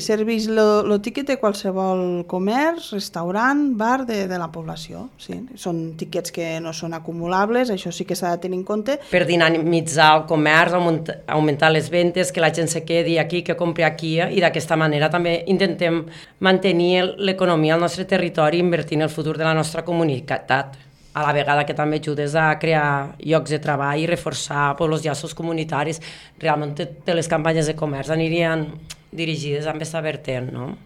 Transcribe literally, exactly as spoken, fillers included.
Serveix el tiquet de qualsevol comerç, restaurant, bar de, de la població. Sí. Són tiquets que no són acumulables, això sí que s'ha de tenir en compte. Per dinamitzar el comerç, augmentar les ventes, que la gent se quedi aquí, que compri aquí, i d'aquesta manera també intentem mantenir l'economia al nostre territori invertint el futur de la nostra comunitat. A la vegada que també ajudes a crear llocs de treball i reforçar els llaços comunitaris. Realment totes les campanyes de comerç anirien dirigides amb aquesta vertent, no?